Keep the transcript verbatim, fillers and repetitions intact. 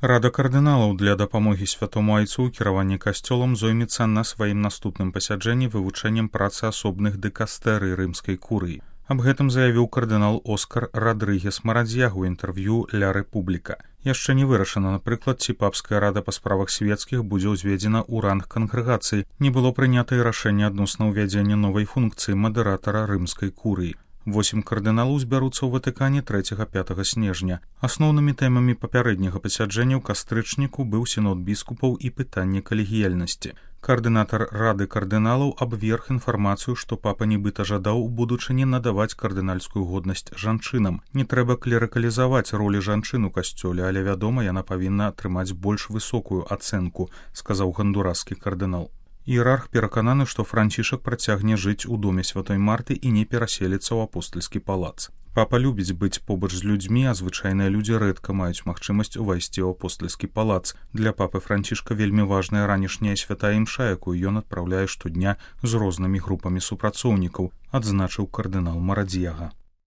Рада кардыналаў для дапамогі святому айцу ў кіраванні касцёлам зоймецца на сваім наступным пасяджэнні вывучэннем працы асобных дыкастэрый рымскай курыі. Аб гэтым заявіў кардынал Оскар Радрыгес Марадзьяга ў інтэрв'ю «Ля Рэпубліка». Яшчэ не вырашана, напрыклад, ці папская рада па справах свецкіх будзе ўзведзена ў ранг кангрэгацыі. Не было прынята і рашэнне адносна ўвядзення новай функцыі мадэратара рымскай курыі. Восем кардыналаў збяруцца ў Ватыкане трэцяга-пятага снежня. Асноўнымі тэмамі папярэдняга пасяджэння ў кастрычніку быў сінод біскупаў і пытанне калегіяльнасці. Каардынатар рады кардыналаў абверг інфармацыю, што папа нібыта жадаў у будучыні надаваць кардынальскую годнасць жанчынам. Не трэба клерыкалізаваць ролі жанчын у касцёле, але, вядома, яна павінна атрымаць больш высокую ацэнку, сказаў гондураскі кардынал. Іерарх перакананы, што Францішак працягне жыць у доме святой Марты і не пераселіцца ў апостальскі палац. Папа любіць быць побач з людзьмі, а звычайныя людзі рэдка маюць магчымасць увайсці ў апостальскі палац. Для папы Францішка вельмі важная ранішняя святая імша, якую ён адпраўляе штодня з рознымі групамі супрацоўнікаў, адзначыў кардынал Марадзьяга.